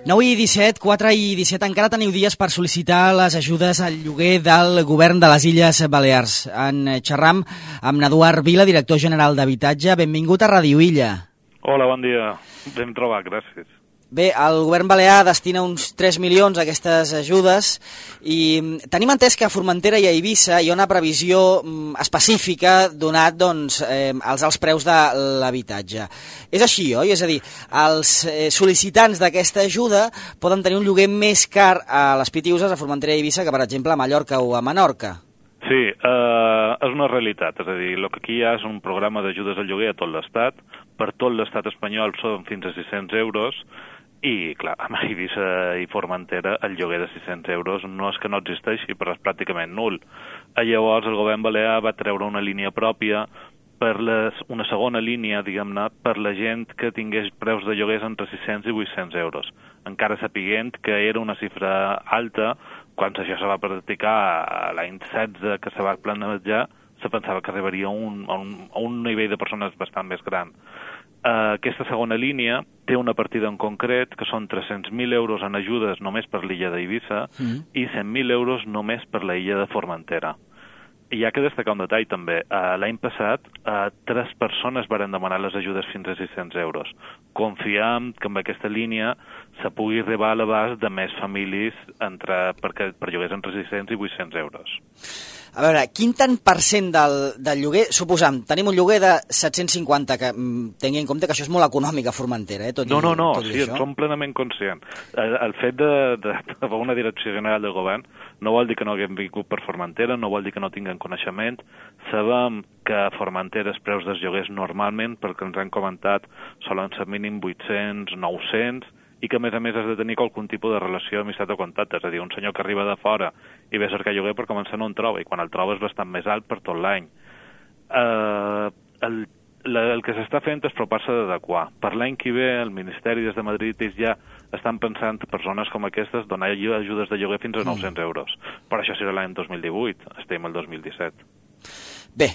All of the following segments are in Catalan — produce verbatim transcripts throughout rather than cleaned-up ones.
nou i disset, quatre i disset, encara teniu dies per sol·licitar les ajudes al lloguer del govern de les Illes Balears. En xerram amb Eduard Vila, director general d'Habitatge. Benvingut a Ràdio Illa. Hola, bon dia. Ben trobat, gràcies. Bé, el govern balear destina uns tres milions a aquestes ajudes i tenim entès que a Formentera i a Eivissa hi ha una previsió específica donat doncs, eh, als alts preus de l'habitatge. És així, oi? És a dir, els eh, sol·licitants d'aquesta ajuda poden tenir un lloguer més car a les Pitiüses, a Formentera i Eivissa, que per exemple a Mallorca o a Menorca. Sí, eh, és una realitat. És a dir, el que aquí hi ha és un programa d'ajudes al lloguer a tot l'Estat. Per tot l'Estat espanyol són fins a sis-cents euros. I, clar, a Eivissa i Formentera el lloguer de sis-cents euros no és que no existeixi, però és pràcticament nul. Llavors el govern balear va treure una línia pròpia, per les, una segona línia, diguem-ne, per la gent que tingués preus de lloguers entre sis-cents i vuit-cents euros. Encara sapiguent que era una xifra alta, quan això se va practicar l'any setze, que se va planejar, se pensava que arribaria a un, a un, a un nivell de persones bastant més gran. Uh, aquesta segona línia té una partida en concret que són tres-cents mil euros en ajudes només per l'illa d'Eivissa mm. i cent mil euros només per la illa de Formentera. I hi ha que destacar un detall també. Uh, L'any passat, uh, tres persones varen demanar les ajudes fins a sis-cents euros. Confiem que amb aquesta línia se pugui arribar a l'abast de més famílies entre, per, per lloguers entre sis-cents i vuit-cents euros. A veure, quin tant per cent del, del lloguer, suposam, tenim un lloguer de set-cents cinquanta, que tingui en compte que això és molt econòmic a Formentera, eh? Tot no, no, no, tot sí, en som plenament conscients. El, el fet de, de, de una direcció general del govern no vol dir que no haguem vingut per Formentera, no vol dir que no tinguem coneixement. Sabem que a Formentera els preus dels lloguers normalment, perquè ens han comentat, solen ser mínim vuit-cents, nou-cents, i que, a més a més, has de tenir qualsevol tipus de relació d'amistat o contacte. És a dir, un senyor que arriba de fora i ve a cercar lloguer per començar no en troba, i quan el troba és bastant més alt per tot l'any. Uh, el, la, el que s'està fent és propar-se d'adequar. Per l'any que ve, el Ministeri des de Madrid ja estan pensant per zones com aquestes donar ajudes de lloguer fins a nou-cents euros. Però això serà l'any dos mil divuit, estem al dos mil disset. Bé,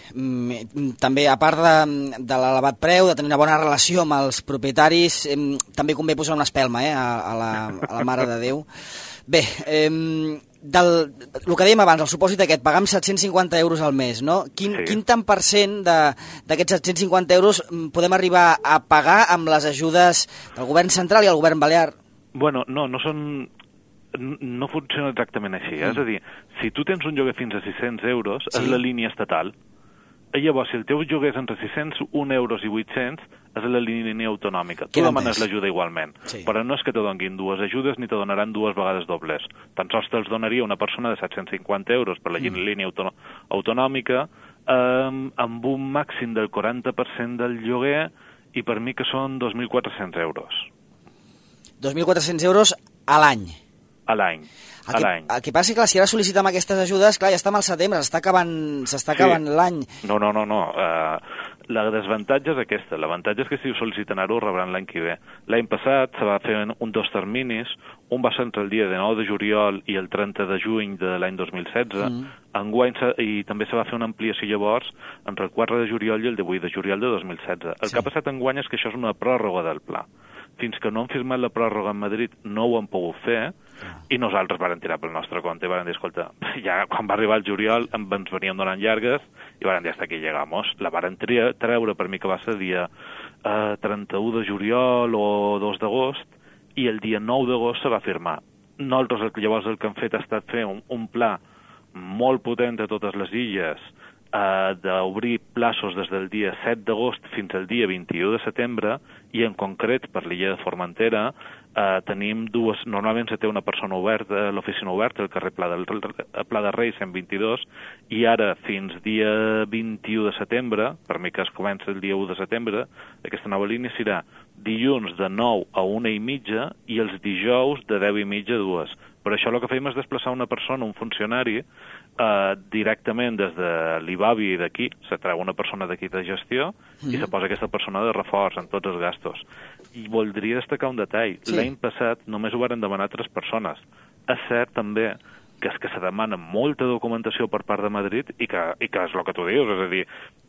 també a part de, de l'elevat preu, de tenir una bona relació amb els propietaris, també convé posar una espelma eh, a, a, la, a la Mare de Déu. Bé, eh, del, el que dèiem abans, el supòsit aquest, pagar amb set-cents cinquanta euros al mes, no? Quin, sí. quin tant per cent d'aquests set-cents cinquanta euros podem arribar a pagar amb les ajudes del govern central i el govern balear? Bueno, no, no són... no funciona exactament així. Mm. És a dir, si tu tens un lloguer fins a sis-cents euros, sí. és la línia estatal. I llavors, si el teu lloguer és entre sis-cents un euros i vuit-cents, és la línia autonòmica. Tu demanes l'ajuda igualment. Sí. Però no és que te donin dues ajudes ni te donaran dues vegades dobles. Tan sols te'ls donaria una persona de set-cents cinquanta euros per la mm. línia auto autonòmica eh, amb un màxim del quaranta per cent del lloguer i per mi que són dos mil quatre-cents euros. dos mil quatre-cents euros a l'any? A l'any. El, el que passa és que clar, si ara sol·licitem aquestes ajudes, clar, ja està al setembre, s'està acabant, s'està acabant sí. l'any. No, no, no, no. Uh, la desavantatge és aquesta. L'avantatge és que si ho sol·liciten ara ho rebran l'any que ve. L'any passat se va fer un dos terminis, un va ser entre el dia de nou de juliol i el trenta de juny de l'any dos mil setze, mm. enguany, i també se va fer una ampliació llavors entre el quatre de juliol i el divuit de juliol de dos mil setze. El sí. que ha passat enguany és que això és una pròrroga del pla. Fins que no han firmat la pròrroga a Madrid no ho han pogut fer, i nosaltres vàrem tirar pel nostre compte i vàrem dir, escolta, ja quan va arribar el juliol ens veníem donant llargues i vàrem dir, hasta aquí llegamos. La vàrem treure per mi que va ser dia eh, trenta-u de juliol o dos d'agost, i el dia nou d'agost se va firmar. Nosaltres llavors el que hem fet ha estat fer un, un pla molt potent a totes les illes, Uh, d'obrir plaços des del dia set d'agost fins al dia vint-i-u de setembre, i en concret per l'illa de Formentera uh, tenim dues, normalment se té una persona oberta, l'oficina oberta, el carrer Pla, del, Pla de Reis cent vint-i-dos, i ara fins dia vint-i-u de setembre, per mi que es comença el dia u de setembre, aquesta nova línia serà dilluns de nou a una i mitja i els dijous de deu i mitja a dues. Per això el que fem és desplaçar una persona, un funcionari, eh, directament des de l'Ibavi d'aquí, se treu una persona d'aquí de gestió mm. i se posa aquesta persona de reforç en tots els gastos. I voldria destacar un detall. Sí. L'any passat només ho varen demanar tres persones. És cert també que és que se demana molta documentació per part de Madrid i que, i que és el que tu dius, és a dir,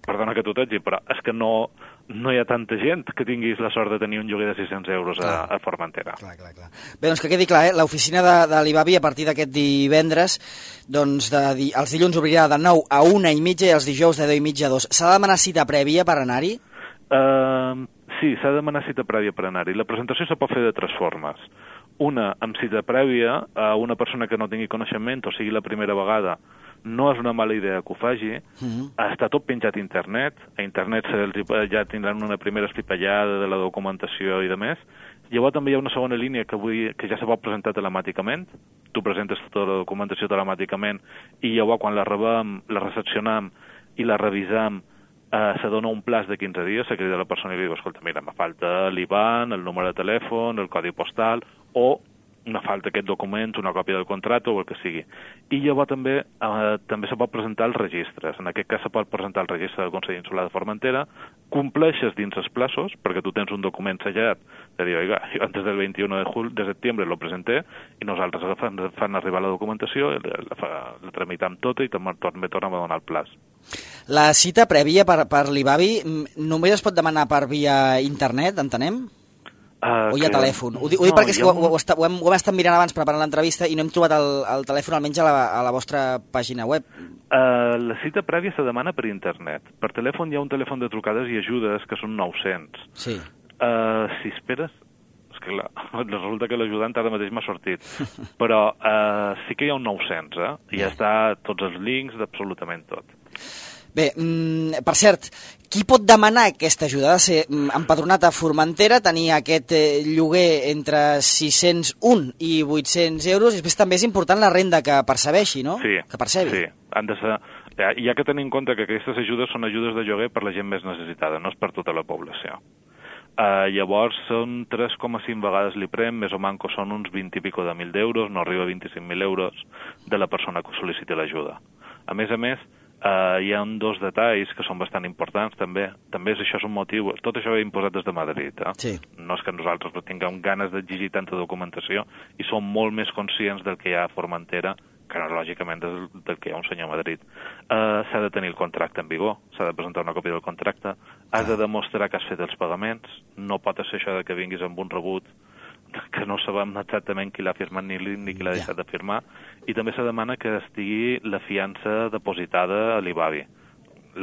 perdona que t'ho t'hagi, però és que no, no hi ha tanta gent que tinguis la sort de tenir un lloguer de sis-cents euros a, a Formentera. Clar, clar, clar. Bé, doncs que quedi clar, eh? L'oficina de, de l'Ibavi a partir d'aquest divendres, doncs de, di, els dilluns obrirà de nou a una i mitja i els dijous de deu i mitja a dos. S'ha de demanar cita prèvia per anar-hi? Uh, sí, s'ha de demanar cita prèvia per anar-hi. La presentació se pot fer de tres formes. Una, amb cita prèvia, a una persona que no tingui coneixement, o sigui la primera vegada, no és una mala idea que ho faci. Mm-hmm. Està tot penjat a internet. A internet ja tindran una primera estripallada de la documentació i de més. Llavors també hi ha una segona línia que, vull, que ja se pot presentar telemàticament. Tu presentes tota la documentació telemàticament i llavors quan la rebem, la recepcionam i la revisam, Uh, se dona un plaç de quinze dies, se crida la persona i li diu, escolta, mira, me falta l'I B A N, el número de telèfon, el codi postal, o me falta aquest document, una còpia del contracte o el que sigui. I llavors també uh, també se pot presentar els registres. En aquest cas se pot presentar el registre del Consell Insular de Formentera, compleixes dins els plaços, perquè tu tens un document sellat, de dir, oiga, jo antes del vint-i-u de, jul, de setembre lo presenté, i nosaltres fan, fan arribar la documentació, la, la, la tramitam tota i també tornem a donar el plaç. La cita prèvia per, per l'Ibavi només es pot demanar per via internet, entenem? Uh, o hi ha que... telèfon? Ho, ho dic no, perquè és que ho, ho, ho, ho, hem, ho hem estat mirant abans preparant l'entrevista i no hem trobat el, el telèfon almenys a la, a la vostra pàgina web. Uh, la cita prèvia se demana per internet. Per telèfon hi ha un telèfon de trucades i ajudes que són nou-cents. Sí. Uh, si esperes... És que clar, resulta que l'ajudant ara mateix m'ha sortit. Però uh, sí que hi ha un nou-cents, eh? I ja està tots els links d'absolutament tot. Bé, mm, per cert, qui pot demanar aquesta ajuda? Ha de ser mm, empadronat a Formentera, tenir aquest eh, lloguer entre sis-cents un i vuit-cents euros, i després també és important la renda que percebeixi, no? Sí, que percebi. sí. Han de ser... Hi ha que tenir en compte que aquestes ajudes són ajudes de lloguer per la gent més necessitada, no és per tota la població. Uh, llavors són tres coma cinc vegades l'IPREM, més o manco són uns vint i pico de mil d'euros, no arriba a vint-i-cinc mil euros de la persona que sol·liciti l'ajuda. A més a més, uh, hi ha dos detalls que són bastant importants també. També és, això és un motiu, tot això ve imposat des de Madrid. Eh? Sí. No és que nosaltres tinguem ganes d'exigir tanta documentació i som molt més conscients del que hi ha a Formentera que no, lògicament, del, del que hi ha un senyor a Madrid. Uh, s'ha de tenir el contracte en vigor, s'ha de presentar una còpia del contracte, has de demostrar que has fet els pagaments, no pot ser això de que vinguis amb un rebut que no sabem exactament qui l'ha firmat ni, ni qui l'ha deixat de firmar, i també se demana que estigui la fiança depositada a l'Ibavi.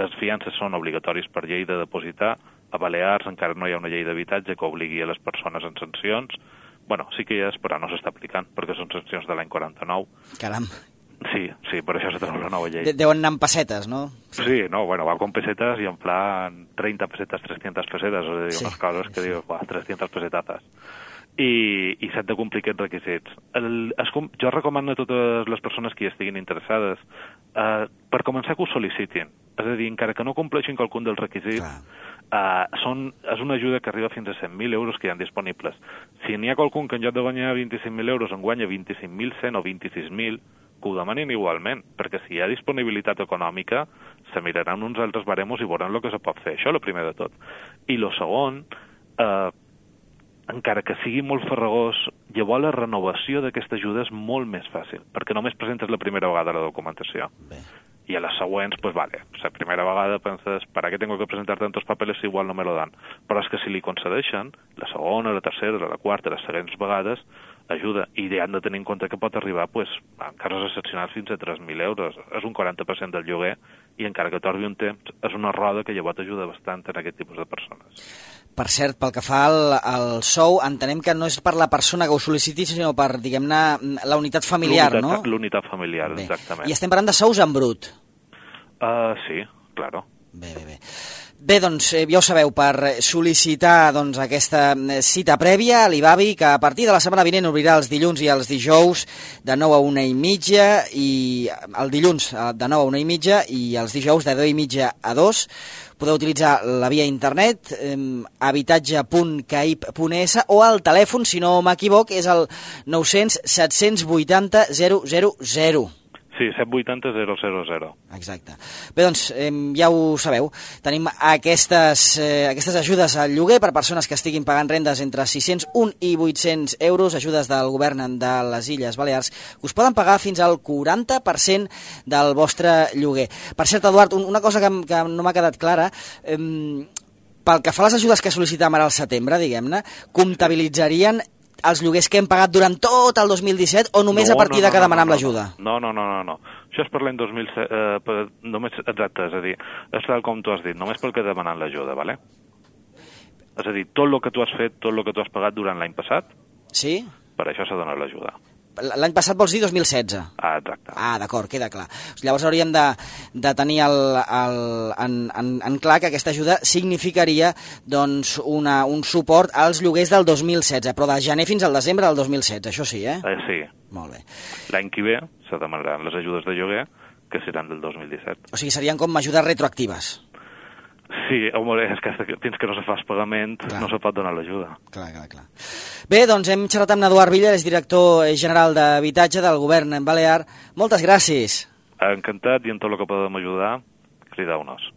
Les fiances són obligatoris per llei de depositar, a Balears encara no hi ha una llei d'habitatge que obligui a les persones en sancions. Bueno, sí que hi és, però no s'està aplicant, perquè són sancions de l'any quaranta-nou. Caram. Sí, sí, per això s'ha treu la nova llei. De deuen anar amb pessetes, no? Sí. sí, no, bueno, va con pessetes i en plan treinta pessetes, trescientas pessetes, o sigui, sí, unes coses que dius, uah, trescientas pesetazas. I, i s'han de complir aquests requisits. El, es, jo recomano a totes les persones que hi estiguin interessades eh, per començar que ho sol·licitin. És a dir, encara que no compleixin qualcun dels requisits, Uh, són, és una ajuda que arriba fins a cent mil euros que hi ha disponibles. Si n'hi ha qualcun que en lloc de guanyar vint-i-cinc mil euros en guanya vint-i-cinc mil cent o vint-i-sis mil, que ho demanin igualment, perquè si hi ha disponibilitat econòmica, se miraran uns altres baremos i veuran el que se pot fer. Això és el primer de tot. I el segon, uh, encara que sigui molt farragós, llavors la renovació d'aquesta ajuda és molt més fàcil, perquè només presentes la primera vegada la documentació. Bé. Y a las siguientes, pues vale, pues la primera vegada penses, ¿para qué tengo que presentar tantos papeles si igual no me lo dan? Però és que si li concedeixen, la segona, la tercera, la quarta, les següents vegades, ajuda. I han de tenir en compte que pot arribar, pues, en casos excepcionals, fins a tres mil euros. És un quaranta per cent del lloguer, i encara que torni un temps, és una roda que llavors ajuda bastant en aquest tipus de persones. Per cert, pel que fa al, al sou, entenem que no és per la persona que ho sol·liciti, sinó per, diguem-ne, la unitat familiar, no? L'unitat familiar, bé, exactament. I estem parlant de sous en brut? Uh, sí, claro. Bé, bé, bé. Bé, doncs, eh, ja ho sabeu, per sol·licitar doncs, aquesta cita prèvia a l'Ibavi, que a partir de la setmana vinent obrirà els dilluns i els dijous de nou a una i mitja, i el dilluns de nou a una i mitja i els dijous de deu i mitja a dos. Podeu utilitzar la via internet, eh, habitatge punt caip punt es, o el telèfon, si no m'equivoc, és el nou cents set cents vuitanta zero zero zero. Sí, set vuitanta zero zero zero. Exacte. Bé, doncs, eh, ja ho sabeu. Tenim aquestes, eh, aquestes ajudes al lloguer per persones que estiguin pagant rendes entre sis-cents un i vuit-cents euros, ajudes del govern de les Illes Balears, que us poden pagar fins al quaranta per cent del vostre lloguer. Per cert, Eduard, una cosa que, que no m'ha quedat clara, eh, pel que fa a les ajudes que sol·licitàvem ara al setembre, diguem-ne, comptabilitzarien els lloguers que hem pagat durant tot el dos mil disset o només no, a partir no, no, de que no, demanem no, no, l'ajuda? No, no, no, no, no. Això és per l'any dos mil set, eh, per, només, exacte, és a dir, és tal com tu has dit, només pel que demanant l'ajuda, vale? És a dir, tot el que tu has fet, tot el que tu has pagat durant l'any passat, sí? Per això s'ha donat l'ajuda. L'any passat vols dir dos mil setze? Ah, exacte. Ah, d'acord, queda clar. Llavors hauríem de, de tenir el, el, en, en, en clar que aquesta ajuda significaria doncs, una, un suport als lloguers del dos mil setze, però de gener fins al desembre del dos mil setze, això sí, eh? eh sí. Molt bé. L'any que ve se demanaran les ajudes de lloguer, que seran del dos mil disset. O sigui, serien com ajudes retroactives. Sí, home, és que fins que no se fa el pagament clar. No se pot donar l'ajuda. Clar, clar, clar. Bé, doncs hem xerrat amb Eduard Villa, és director general d'Habitatge del govern balear. Moltes gràcies. Encantat, i en tot el que podem ajudar, crideu-nos.